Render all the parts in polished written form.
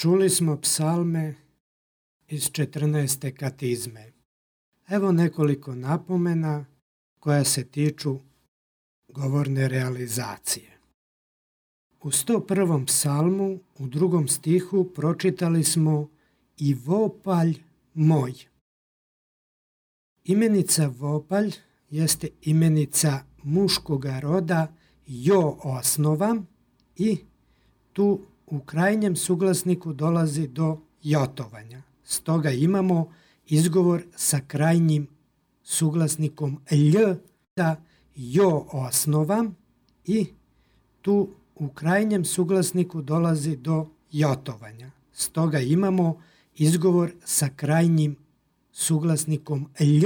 Čuli smo psalme iz 14. katizme. Evo nekoliko napomena koja se tiču govorne realizacije. U 101. psalmu u 2. stihu pročitali smo i vopalj moj. Imenica vopalj jeste imenica muškoga roda jo osnova i tu u krajnjem suglasniku dolazi do jotovanja. Stoga imamo izgovor sa krajnjim suglasnikom lj da jo osnova i tu u krajnjem suglasniku dolazi do jotovanja. Stoga imamo izgovor sa krajnjim suglasnikom lj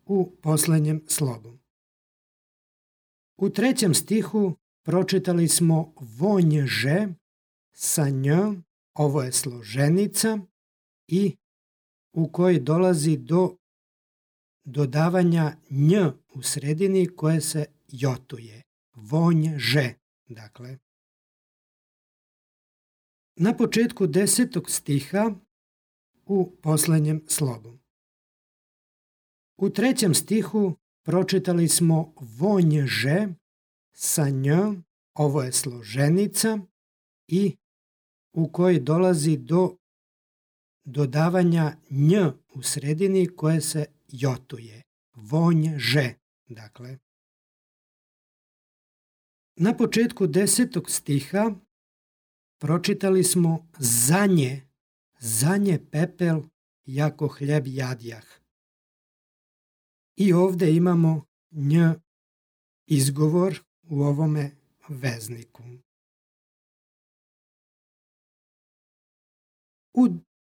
u posljednjem slogu. U 3. stihu pročitali smo vonjže sa nj, ovo je složenica i u kojoj dolazi do dodavanja nj u sredini koje se jotuje. Vonjže, dakle. Na početku 10. stiha u posljednjem slogu. U 3. stihu pročitali smo vonjže sa nj, ovo je složenica i u kojoj dolazi do dodavanja nj u sredini koje se jotuje. Vonjže, dakle. Na početku 10. stiha pročitali smo zanje pepel jako hljeb jadjah. I ovdje imamo nj izgovor u ovome vezniku. U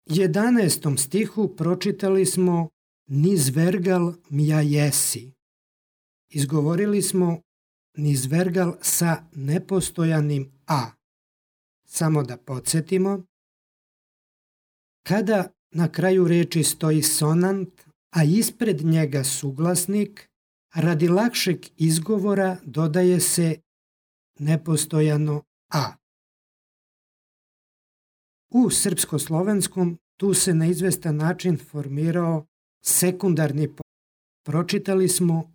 11. stihu pročitali smo nizvergal mja jesi. Izgovorili smo nizvergal sa nepostojanim a. Samo da podsjetimo, kada na kraju riječi stoji sonant, a ispred njega suglasnik, radi lakšeg izgovora dodaje se nepostojano a. U srpsko-slovenskom tu se na izvestan način formirao sekundarni pojam. Pročitali smo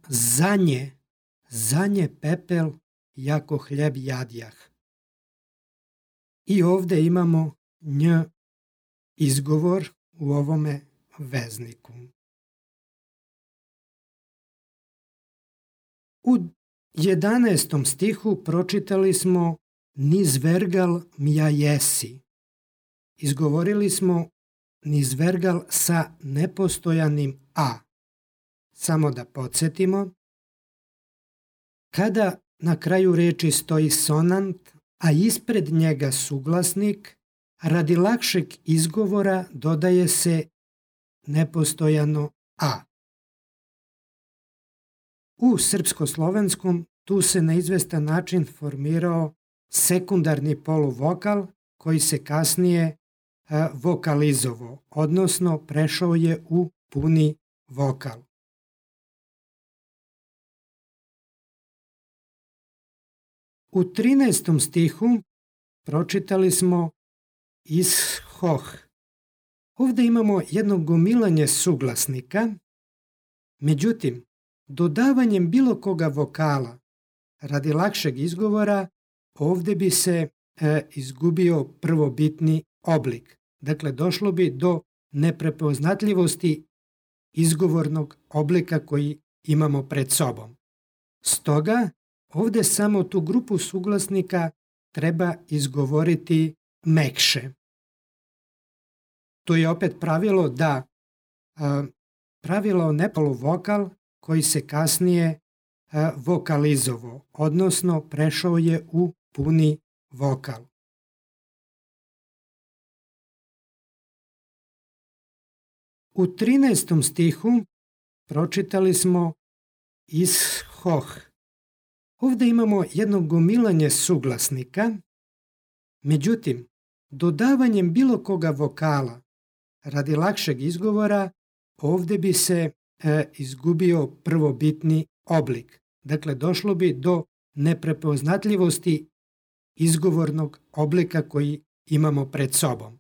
zanje pepel jako hljeb jadjah. I ovdje imamo nj izgovor u ovome vezniku. U 11. stihu pročitali smo nizvergal mja jesi. Izgovorili smo nizvergal sa nepostojanim a. Samo da podsjetimo, kada na kraju riječi stoji sonant, a ispred njega suglasnik, radi lakšeg izgovora dodaje se nepostojano a. U srpsko-slovenskom tu se na izvestan način formirao sekundarni poluvokal koji se kasnije vokalizovao, odnosno prešao je u puni vokal. U 13. stihu pročitali smo ishoh. Ovdje imamo jedno gomilanje suglasnika, međutim, dodavanjem bilo koga vokala radi lakšeg izgovora ovdje bi se izgubio prvobitni oblik. Dakle, došlo bi do neprepoznatljivosti izgovornog oblika koji imamo pred sobom. Stoga, ovdje samo tu grupu suglasnika treba izgovoriti mekše. To je opet pravilo nepoluvokal koji se kasnije vokalizovao, odnosno prešao je u puni vokal. U 13. stihu pročitali smo ishoh. Ovdje imamo jedno gomilanje suglasnika, međutim, dodavanjem bilo koga vokala radi lakšeg izgovora ovdje bi se izgubio prvobitni oblik. Dakle, došlo bi do neprepoznatljivosti izgovornog oblika koji imamo pred sobom.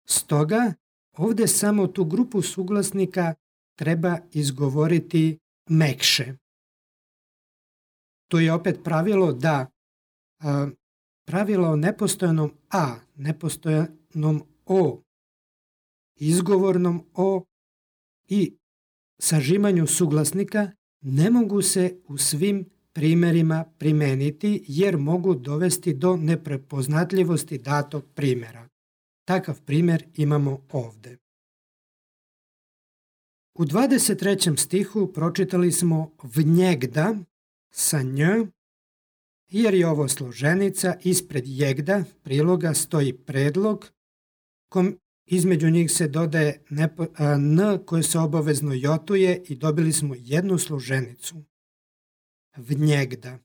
Stoga, ovdje samo tu grupu suglasnika treba izgovoriti mekše. To je opet pravilo pravilo o nepostojanom a, nepostojanom o, izgovornom o i sažimanju suglasnika ne mogu se u svim primjerima primijeniti jer mogu dovesti do neprepoznatljivosti datog primjera. Takav primjer imamo ovdje. U 23. stihu pročitali smo vnjegda sa nj, jer je ovo složenica, ispred jegda priloga stoji predlog, između njih se dodaje n koje se obavezno jotuje i dobili smo jednu složenicu. Vnjegda.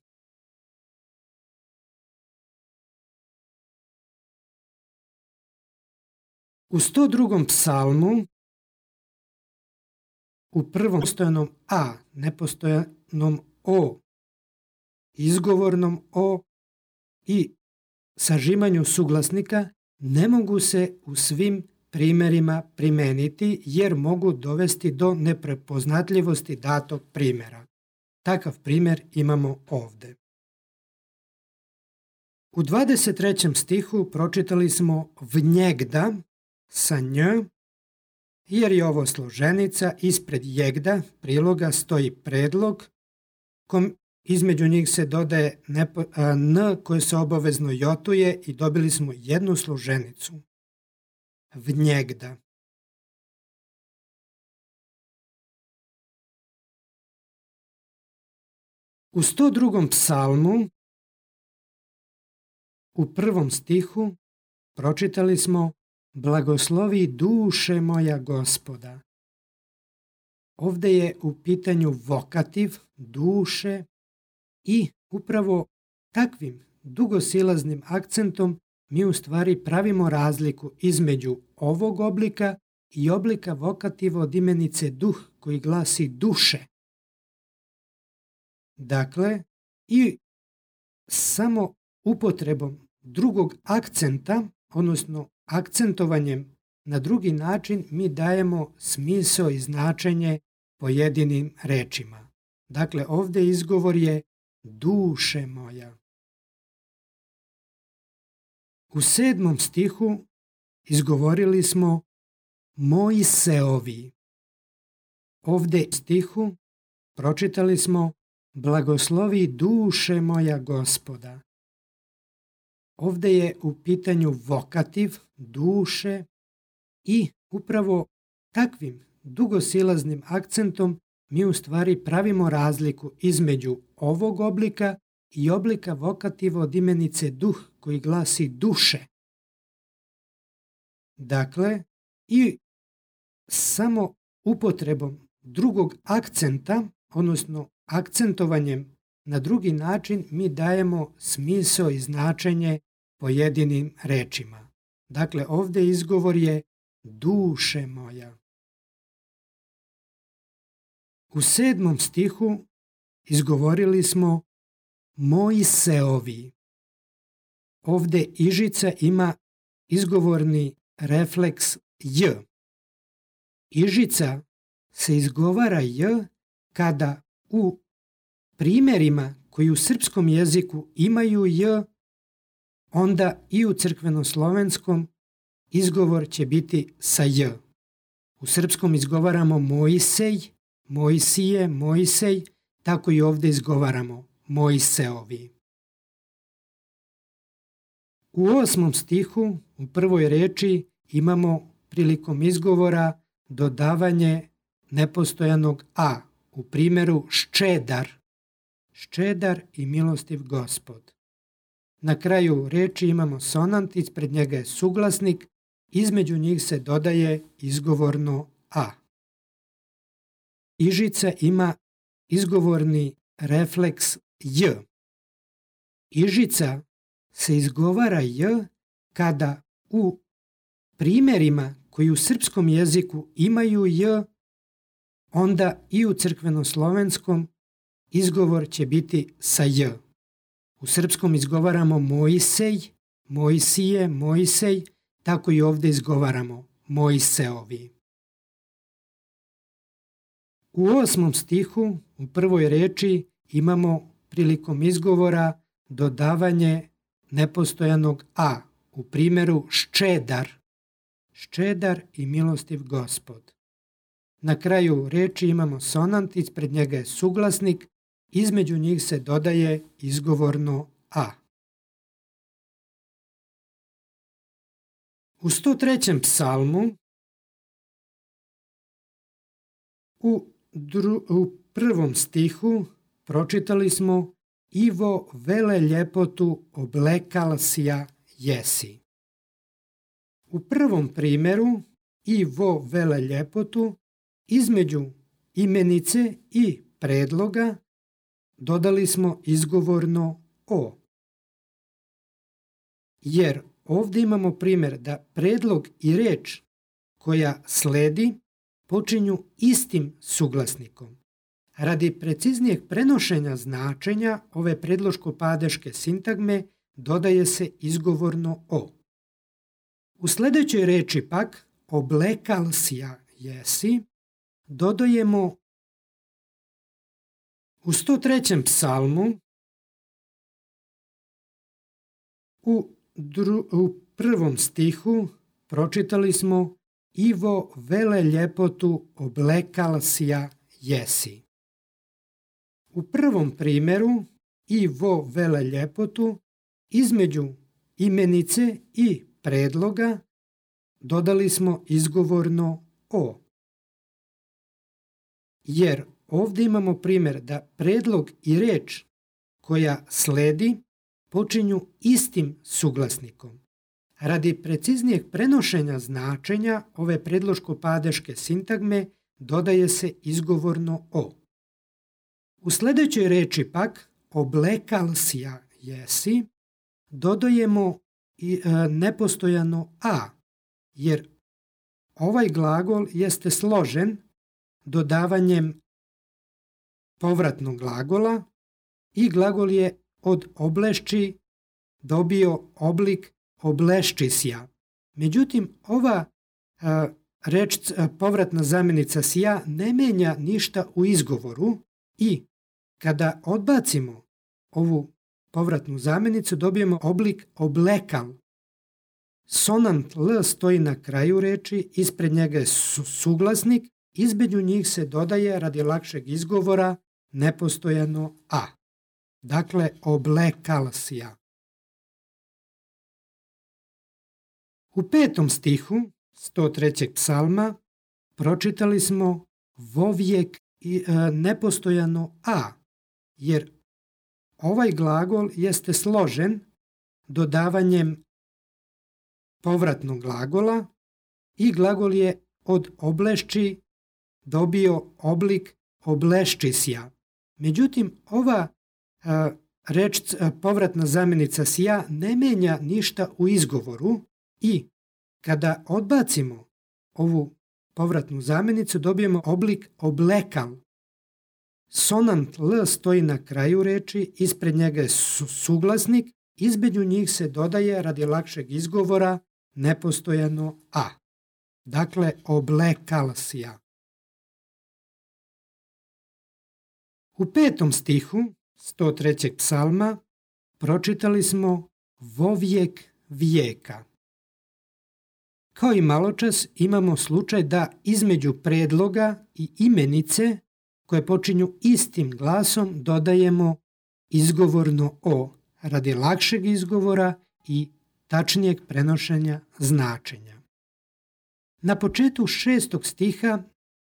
U 102. psalmu u prvom postojanom a, nepostojanom o, izgovornom o i sažimanju suglasnika ne mogu se u svim primjerima primijeniti jer mogu dovesti do neprepoznatljivosti datog primjera. Takav primjer imamo ovdje. U 23. stihu pročitali smo vnjegda sa nj, jer je ovo složenica, ispred jegda priloga stoji predlog, između njih se dodaje n koje se obavezno jotuje i dobili smo jednu složenicu. Vnjegda. U 102. psalmu u prvom stihu pročitali smo blagoslovi duše moja Gospoda. Ovdje je u pitanju vokativ duše i upravo takvim dugosilaznim akcentom mi u stvari pravimo razliku između ovog oblika i oblika vokativa od imenice duh koji glasi duše. Dakle, i samo upotrebom drugog akcenta, odnosno akcentovanjem na drugi način, mi dajemo smisao i značenje pojedinim rečima. Dakle, ovdje izgovor je duše moja. U 7. stihu izgovorili smo Mojseovi. Ovdje u stihu pročitali smo blagoslovi duše moja Gospoda. Ovdje je u pitanju vokativ duše i upravo takvim dugosilaznim akcentom mi u stvari pravimo razliku između ovog oblika i oblika vokativa od imenice duh koji glasi duše. Dakle, i samo upotrebom drugog akcenta, odnosno akcentovanjem na drugi način, mi dajemo smisao i značenje pojedinim rečima. Dakle, ovdje izgovor je duše moja. U 7. stihu izgovorili smo Mojseovi. Ovdje ižica ima izgovorni refleks j. Ižica se izgovara j kada u primjerima koji u srpskom jeziku imaju j, onda i u crkvenoslovenskom izgovor će biti sa j. U srpskom izgovaramo Mojsej, Mojsije, Mojsej, tako i ovdje izgovaramo Mojseovi. U 8. stihu u prvoj reči imamo prilikom izgovora dodavanje nepostojanog a, u primjeru ščedar, ščedar i milostiv Gospod. Na kraju reči imamo sonant, ispred njega je suglasnik, između njih se dodaje izgovorno a. Ižica ima izgovorni refleks j. Ižica se izgovara j kada u primjerima koji u srpskom jeziku imaju j, onda i u crkvenoslovenskom izgovor će biti sa j. U srpskom izgovaramo Mojsej, Mojsije, Mojsej, tako i ovdje izgovaramo Mojseovi. U 8. stihu u prvoj reči imamo prilikom izgovora dodavanje nepostojanog a u primjeru ščedar i milostiv Gospod. Na kraju reči imamo sonant, ispred njega je suglasnik, između njih se dodaje izgovorno a. U 103. psalmu u 1. stihu pročitali smo Ivo vele ljepotu oblekal sja jesi. U prvom primjeru Ivo vele ljepotu između imenice i predloga dodali smo izgovorno o. Jer ovdje imamo primjer da predlog i reč koja sledi počinju istim suglasnikom. Radi preciznijeg prenošenja značenja ove predloško-padeške sintagme dodaje se izgovorno o. U sljedećoj reči pak oblekal sja jesi dodajemo u 103. psalmu u 1. stihu pročitali smo Ivo vele ljepotu oblekal sja jesi. U prvom primjeru Ivo vele ljepotu između imenice i predloga dodali smo izgovorno o. Jer ovdje imamo primjer da predlog i reč koja sledi počinju istim suglasnikom. Radi preciznijeg prenošenja značenja ove predloško-padeške sintagme dodaje se izgovorno o. U sljedećoj reči pak oblekal sja jesi dodajemo nepostojano a, jer ovaj glagol jeste složen dodavanjem povratnog glagola i glagol je od oblešći dobio oblik obleščisja. Međutim, ova reč povratna zamjenica sja ne mijenja ništa u izgovoru i kada odbacimo ovu povratnu zamjenicu dobijemo oblik oblekal. Sonant l stoji na kraju reči, ispred njega je suglasnik, između njih se dodaje radi lakšeg izgovora nepostojano a. Dakle, oblekal sja. U 5. stihu 103. psalma pročitali smo vovijek nepostojano a, jer ovaj glagol jeste složen dodavanjem povratnog glagola i glagol je od oblešći dobio oblik obleščisja. Međutim, ova reč povratna zamjenica sja ne mijenja ništa u izgovoru i kada odbacimo ovu povratnu zamjenicu dobijemo oblik oblekal. Sonant l stoji na kraju reči, ispred njega je suglasnik, između njih se dodaje radi lakšeg izgovora nepostojano a. Dakle, oblekal sja. U 5. stihu 103. psalma pročitali smo vovijek vijeka. Kao i maločas imamo slučaj da između predloga i imenice koje počinju istim glasom dodajemo izgovorno o radi lakšeg izgovora i tačnijeg prenošenja značenja. Na početku 6. stiha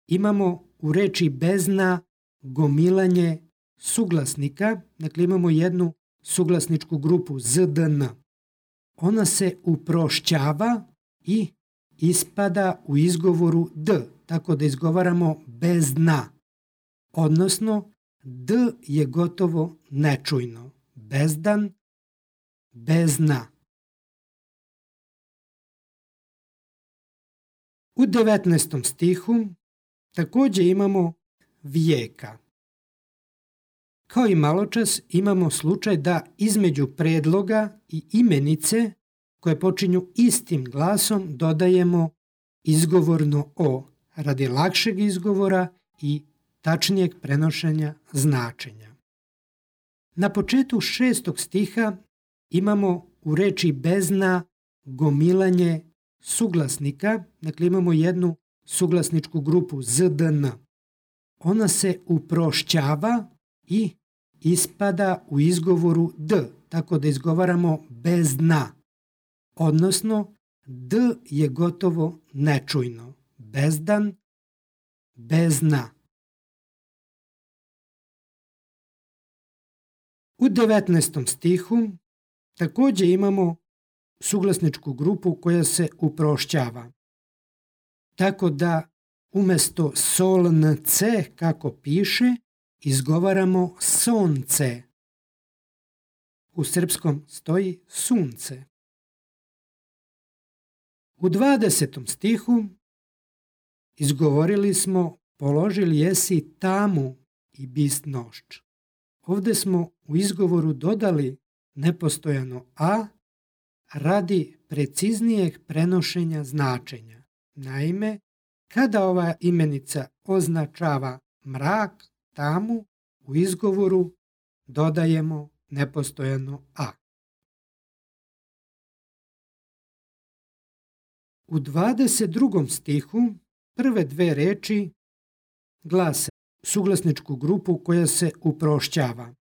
imamo u reči bezna gomilanje suglasnika, dakle imamo jednu suglasničku grupu zdn. Ona se uprošćava i ispada u izgovoru d, tako da izgovaramo bezna. Odnosno, d je gotovo nečujno. Bezdan, bezna. U 19. stihu također imamo vijeka. Kao i maločas imamo slučaj da između predloga i imenice koje počinju istim glasom dodajemo izgovorno o radi lakšeg izgovora i tačnijeg prenošenja značenja. Na početku 6. stiha imamo u reči bezna gomilanje suglasnika, dakle imamo jednu suglasničku grupu zdn. Ona se uprošćava i ispada u izgovoru d, tako da izgovaramo bezna, odnosno d je gotovo nečujno. Bezdan, bezna. U 19. stihu također imamo suglasničku grupu koja se uprošćava. Tako da umjesto solnce, kako piše, izgovaramo sonce. U srpskom stoji sunce. U 20. stihu izgovorili smo položili jesi tamu i bist nošč. Ovdje smo u izgovoru dodali nepostojano a radi preciznijeg prenošenja značenja. Naime, kada ova imenica označava mrak, tamu, u izgovoru dodajemo nepostojano a. U 22. stihu prve dve reči glase suglasničku grupu koja se uprošćava.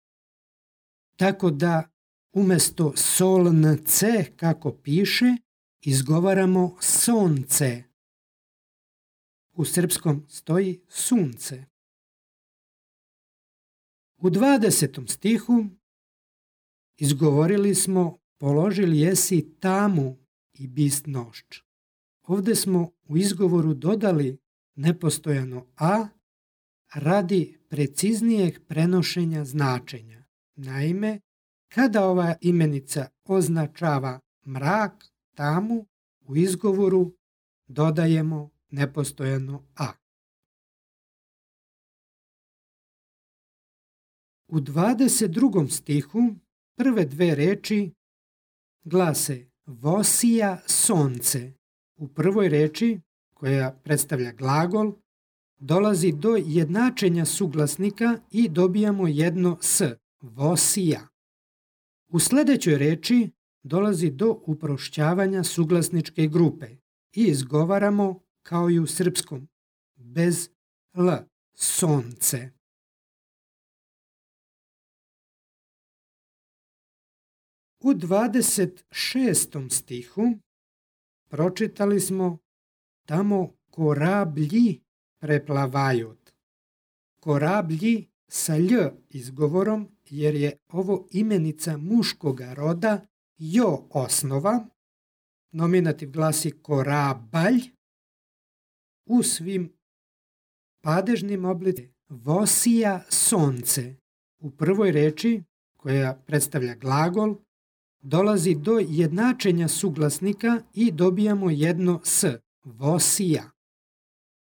Tako da umjesto solnce, kako piše, izgovaramo sonce. U srpskom stoji sunce. U 20. stihu izgovorili smo položili jesi tamu i bist nošč. Ovdje smo u izgovoru dodali nepostojano a radi preciznijeg prenošenja značenja. Naime, kada ova imenica označava mrak, tamu, u izgovoru dodajemo nepostojano a. U 22. stihu prve dve reči glase vosija sonce. U prvoj reči, koja predstavlja glagol, dolazi do jednačenja suglasnika i dobijamo jedno s, vosija. U sljedećoj reči dolazi do uprošćavanja suglasničke grupe i izgovaramo kao i u srpskom, bez l, sonce. U 26. stihu pročitali smo tamo korablji preplavajut. Korablji sa lj izgovorom jer je ovo imenica muškoga roda jo osnova. Nominativ glasi korabalj. U svim padežnim oblicima vosija sonce. U prvoj reči, koja predstavlja glagol, dolazi do jednačenja suglasnika i dobijamo jedno s, vosija.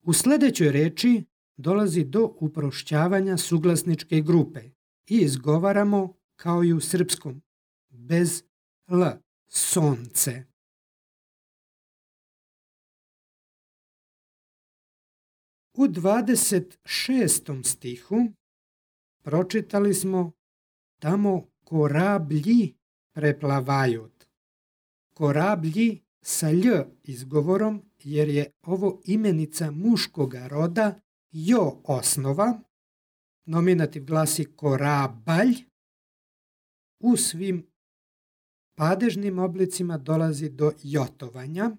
U sljedećoj reči dolazi do uprošćavanja suglasničke grupe i izgovaramo kao i u srpskom, bez l, sonce. U 26. stihu pročitali smo tamo korablji preplavajut. Korablji sa lj izgovorom jer je ovo imenica muškoga roda jo osnova. Nominativ glasi korabalj. U svim padežnim oblicima dolazi do jotovanja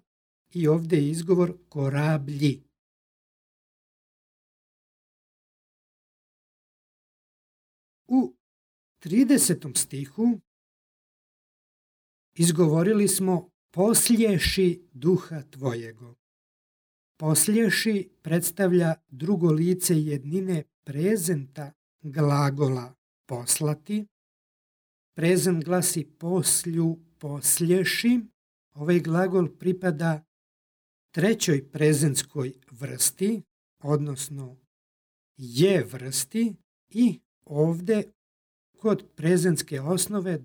i ovdje je izgovor korablji. U 30. stihu izgovorili smo poslješi duha tvojego. Poslješi predstavlja drugo lice jednine prezenta glagola poslati. Prezent glasi poslju, poslješi. Ovaj glagol pripada trećoj prezentskoj vrsti, odnosno je vrsti i ovdje kod prezentske osnove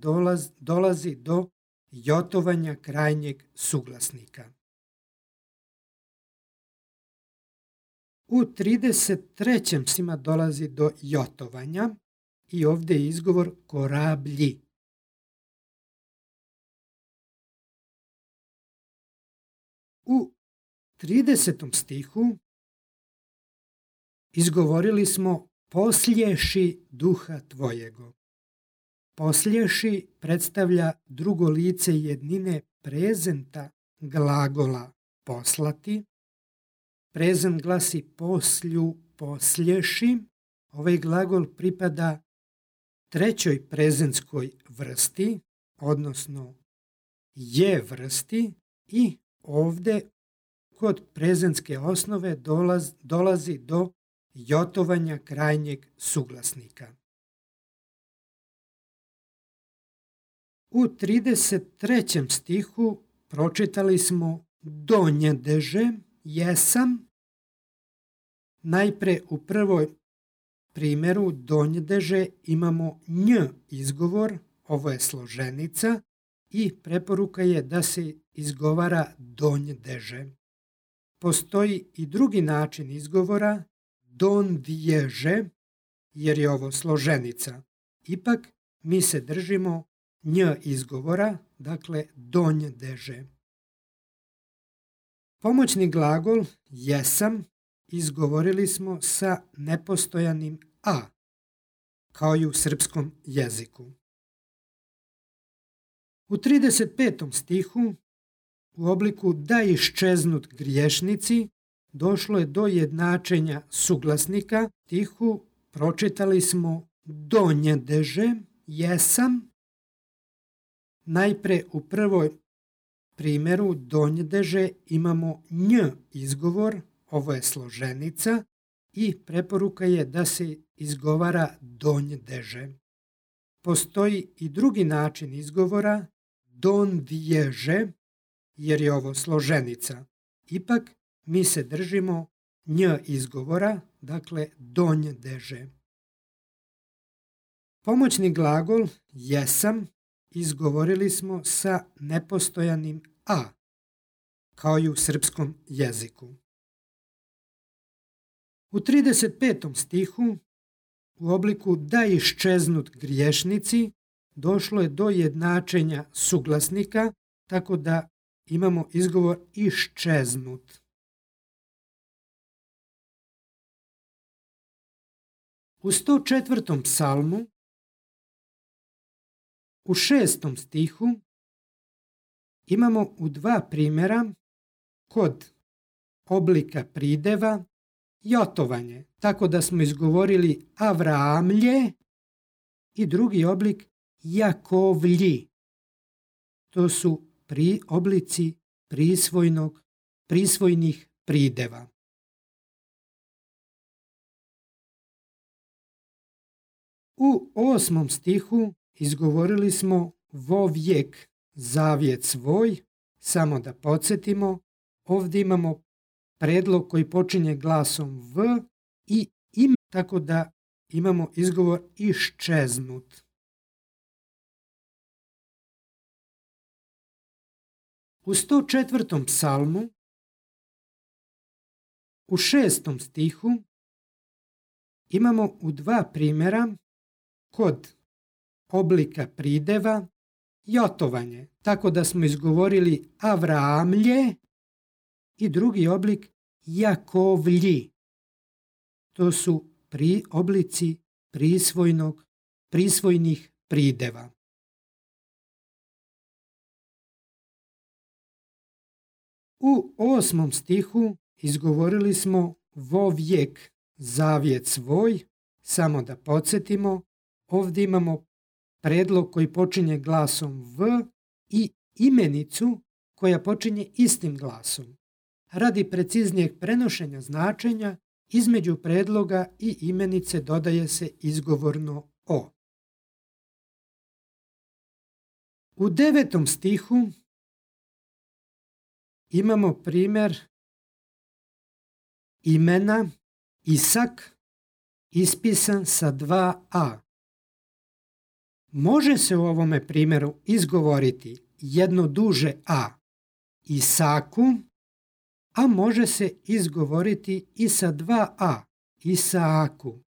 dolazi do jotovanja krajnjeg suglasnika. U 33. stima dolazi do jotovanja i ovdje je izgovor korablji. U 30. stihu izgovorili smo poslješi duha tvojego. Poslješi predstavlja drugo lice jednine prezenta glagola poslati. Prezent glasi poslju, poslješi. Ovaj glagol pripada trećoj prezentskoj vrsti, odnosno je vrsti, i ovdje kod prezentske osnove dolazi do jotovanja krajnjeg suglasnika. U 33. stihu pročitali smo donjedeže, jesam. Najpre u prvoj primjeru donjedeže imamo nj izgovor, ovo je složenica i preporuka je da se izgovara donjedeže. Postoji i drugi način izgovora, dondježe, jer je ovo složenica. Ipak mi se držimo nj izgovora, dakle donjedeže. Pomoćni glagol jesam izgovorili smo sa nepostojanim a, kao i u srpskom jeziku. U 35. stihu u obliku da iščeznut griješnici došlo je do jednačenja suglasnika. Stihu pročitali smo donjedeže, jesam. Najpre u prvoj primjeru donjedeže imamo nj izgovor, ovo je složenica i preporuka je da se izgovara donjedeže. Postoji i drugi način izgovora, dondježe, jer je ovo složenica. Ipak mi se držimo nj izgovora, dakle donjedeže. Pomoćni glagol jesam izgovorili smo sa nepostojanim a, kao i u srpskom jeziku. U 35. stihu u obliku da iščeznut griješnici došlo je do jednačenja suglasnika, tako da imamo izgovor iščeznut. U 104. psalmu u 6. stihu imamo u dva primjera kod oblika prideva jotovanje, tako da smo izgovorili Avraamlje i drugi oblik Jakovlji. To su oblici prisvojnih prideva. U 8. stihu izgovorili smo vovijek zavjet svoj, samo da podsjetimo, ovdje imamo predlog koji počinje glasom v i im, tako da imamo izgovor iščeznut. U 104. psalmu u 6. stihu imamo u dva primjera kod oblika prideva jotovanje, tako da smo izgovorili Avraamlje i drugi oblik Jakovlji. To su oblici prisvojnih prideva. U 8. stihu izgovorili smo vovijek zavjet svoj, samo da podsjetimo, ovdje imamo predlog koji počinje glasom v i imenicu koja počinje istim glasom. Radi preciznijeg prenošenja značenja, između predloga i imenice dodaje se izgovorno o. U 9. stihu imamo primjer imena Isak ispisan sa 2a. Može se u ovome primjeru izgovoriti jedno duže a, Isaku, a može se izgovoriti i sa dva a, Isaaku.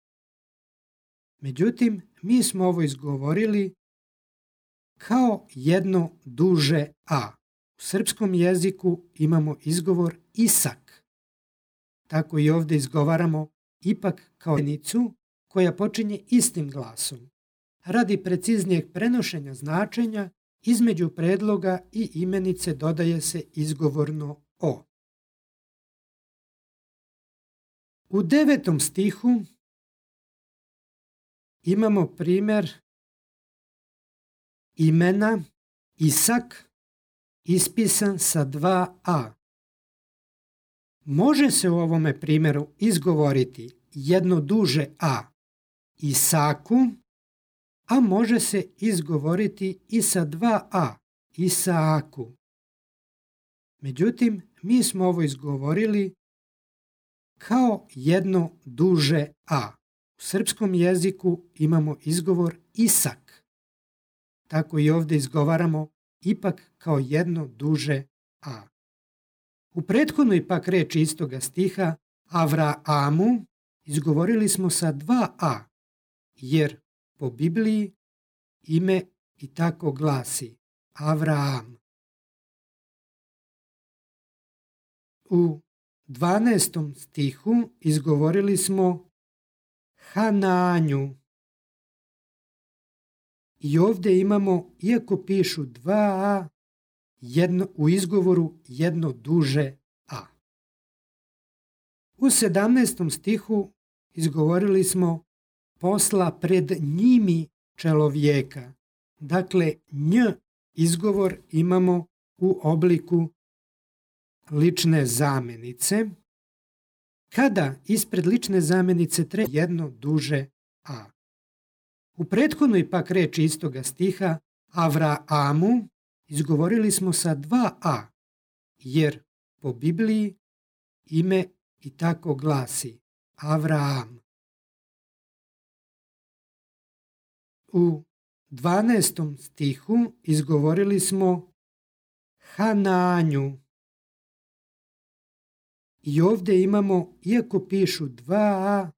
Međutim, mi smo ovo izgovorili kao jedno duže a. U srpskom jeziku imamo izgovor Isak. Tako i ovdje izgovaramo ipak kao rečenicu koja počinje istim glasom. Radi preciznijeg prenošenja značenja, između predloga i imenice dodaje se izgovorno o. U 9. stihu imamo primjer imena Isak ispisan sa dva a. Može se u ovome primjeru izgovoriti jedno duže a, Isaku, a može se izgovoriti i sa dva a, Isaaku. Međutim, mi smo ovo izgovorili kao jedno duže a. U srpskom jeziku imamo izgovor Isak. Tako i ovdje izgovaramo ipak kao jedno duže a. U prethodnoj pak reči istoga stiha Avraamu izgovorili smo sa dva a, jer po Bibliji ime i tako glasi Avraam. U 12. stihu izgovorili smo Hananju. I ovdje imamo, iako pišu dva a, u izgovoru jedno duže a. U 17. stihu izgovorili smo posla pred njimi čelovjeka. Dakle, nj izgovor imamo u obliku lične zamjenice. Kada ispred lične zamjenice treba jedno duže a. U prethodnoj pak reči istoga stiha Avraamu izgovorili smo sa dva a, jer po Bibliji ime i tako glasi Avraam. U 12. stihu izgovorili smo Hananju. I ovdje imamo, iako pišu dva a,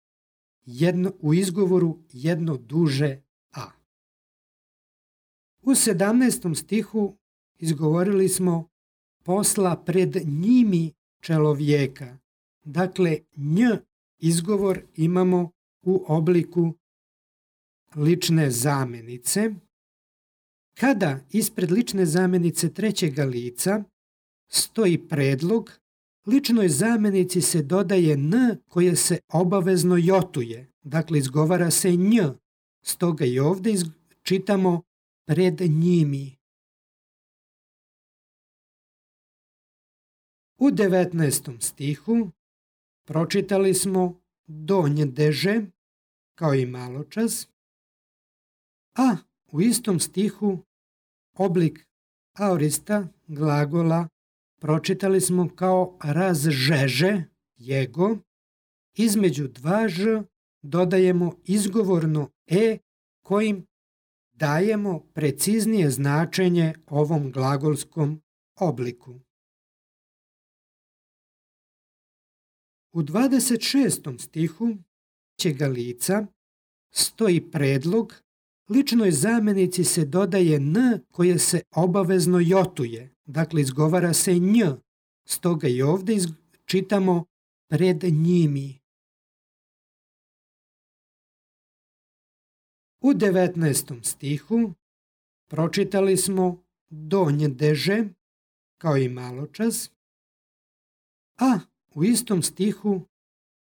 u izgovoru jedno duže a. U 17. stihu izgovorili smo posla pred njimi čelovjeka. Dakle, nj izgovor imamo u obliku lične zamjenice. Kada ispred lične zamjenice trećega lica stoji predlog, ličnoj zamjenici se dodaje n koje se obavezno jotuje. Dakle, izgovara se nj. Stoga i ovdje čitamo pred njimi. U 19. stihu pročitali smo donjdeže, kao i maločas, a u istom stihu oblik aorista glagola pročitali smo kao razžeže, jego, između dva ž dodajemo izgovorno e kojim dajemo preciznije značenje ovom glagolskom obliku. U 26. stihu trećega lica stoji predlog, ličnoj zamjenici se dodaje n koje se obavezno jotuje. Dakle, izgovara se nj. Stoga i ovdje čitamo pred njimi. U 19. stihu pročitali smo donjdeže, kao i maločas, a u istom stihu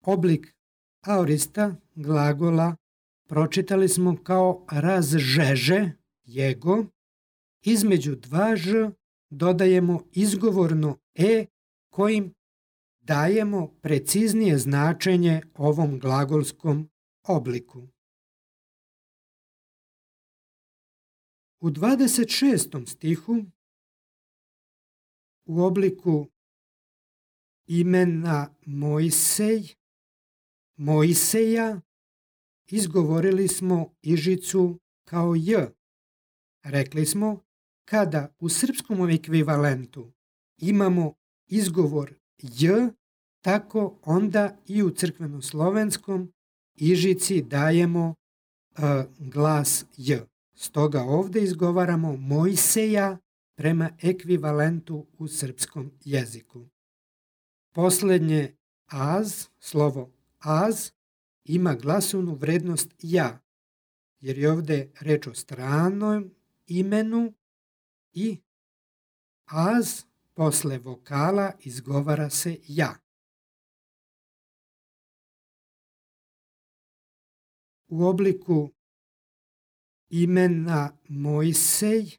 oblik aorista glagola pročitali smo kao razžeže, jego, između dva ž dodajemo izgovorno e kojim dajemo preciznije značenje ovom glagolskom obliku. U 26. stihu u obliku imena Mojseja izgovorili smo ižicu kao j. Rekli smo kada u srpskom ekvivalentu imamo izgovor j, tako onda i u crkvenoslovenskom ižici dajemo glas j. Stoga ovdje izgovaramo Mojseja prema ekvivalentu u srpskom jeziku. Posljednje az, slovo az, ima glasovnu vrednost ja, jer je ovdje reč o stranom imenu i az posle vokala izgovara se ja. U obliku imena Mojsej,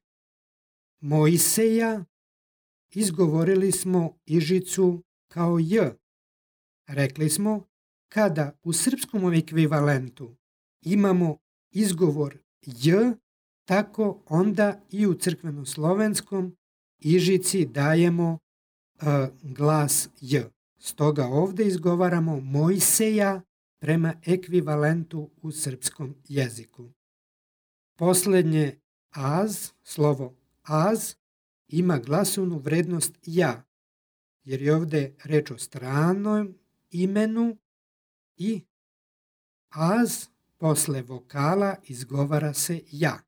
Mojseja, izgovorili smo ižicu kao j. Rekli smo, kada u srpskom ekvivalentu imamo izgovor j, tako onda i u crkvenoslovenskom ižici dajemo glas j. Stoga ovdje izgovaramo Mojseja prema ekvivalentu u srpskom jeziku. Posljednje az, slovo az, ima glasovnu vrednost ja, jer je ovdje reč o stranom imenu i az posle vokala izgovara se ja.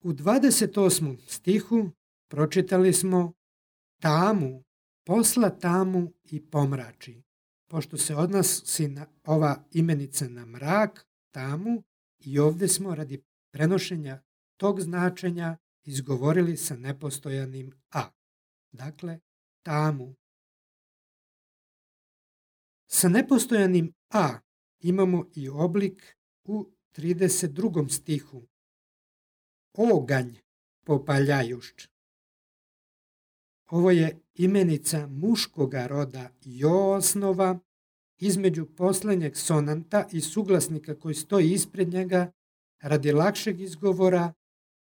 U 28. stihu pročitali smo tamu, posla tamu i pomrači. Pošto se odnosi na ova imenica na mrak, tamu, i ovdje smo radi prenošenja tog značenja izgovorili sa nepostojanim a. Dakle, tamu. Sa nepostojanim a imamo i oblik u 32. stihu. Oganj popaljajušč. Ovo je imenica muškoga roda i osnova između posljednjeg sonanta i suglasnika koji stoji ispred njega radi lakšeg izgovora,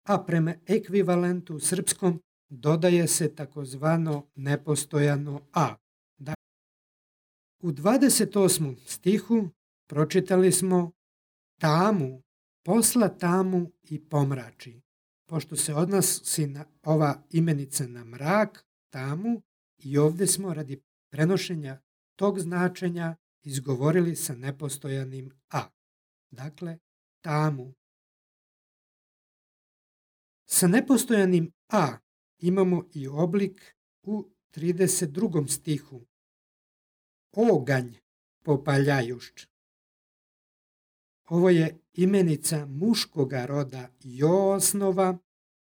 a prema ekvivalentu srpskom dodaje se takozvano nepostojano a. U 28. stihu pročitali smo tamu, posla tamu i pomrači. Pošto se odnosi na ova imenica na mrak, tamu, i ovdje smo radi prenošenja tog značenja izgovorili sa nepostojanim a. Dakle, tamu. Sa nepostojanim a imamo i oblik u 32. stihu. Oganj popaljajušč. Ovo je imenica muškoga roda i osnova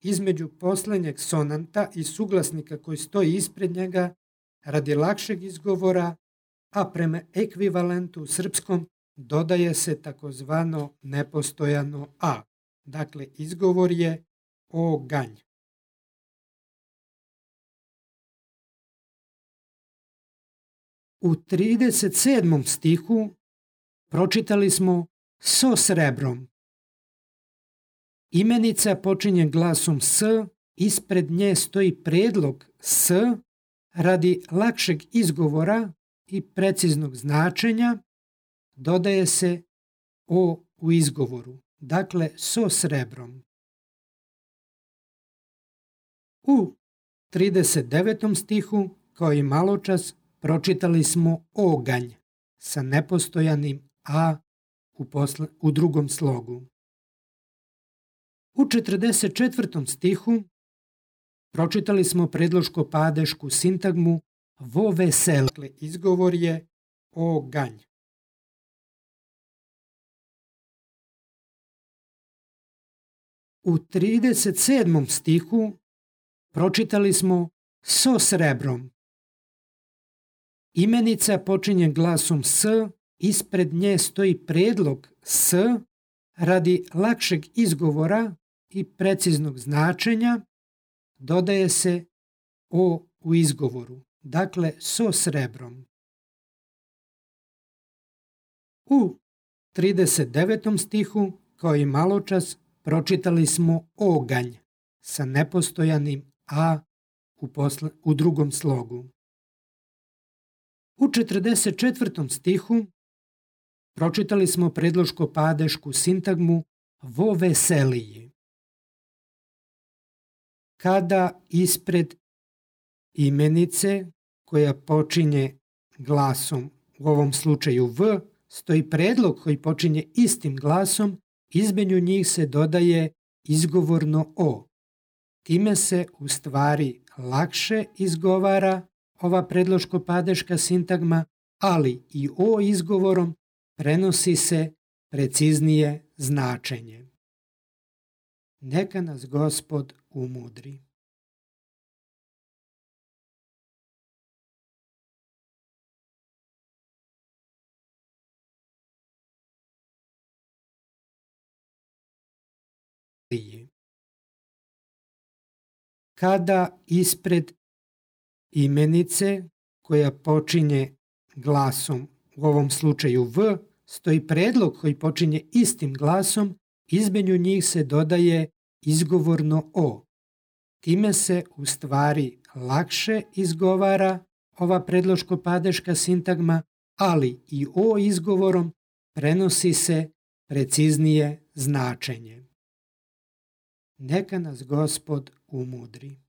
između posljednjeg sonanta i suglasnika koji stoji ispred njega radi lakšeg izgovora, a prema ekvivalentu srpskom dodaje se takozvano nepostojano a. Dakle, izgovor je oganj. U 37. stihu pročitali smo so srebrom. Imenica počinje glasom s, ispred nje stoji predlog s radi lakšeg izgovora i preciznog značenja, dodaje se o u izgovoru. Dakle, so srebrom. U 39. stihu, kao i maločas, pročitali smo oganj sa nepostojanim a u drugom slogu. U 44. stihu pročitali smo predloško-padešku sintagmu vo vesel. Dakle, izgovor je oganj. U 37. stihu pročitali smo so srebrom. Imenica počinje glasom s, ispred nje stoji predlog s radi lakšeg izgovora i preciznog značenja, dodaje se o u izgovoru. Dakle, so srebrom. U 39. stihu, kao i maločas, pročitali smo oganj sa nepostojanim a u drugom slogu. U 44. stihu pročitali smo predloško-padešku sintagmu vo veseliji. Kada ispred imenice koja počinje glasom, u ovom slučaju v, stoji predlog koji počinje istim glasom, između njih se dodaje izgovorno o. Time se u stvari lakše izgovara ova predloško-padeška sintagma, ali i o izgovorom prenosi se preciznije značenje. Neka nas Gospod umudri. Kada ispred imenice koja počinje glasom, u ovom slučaju v, stoji predlog koji počinje istim glasom, između njih se dodaje izgovorno o. Time se u stvari lakše izgovara ova predloško-padeška sintagma, ali i o izgovorom prenosi se preciznije značenje. Neka nas Gospod umudri.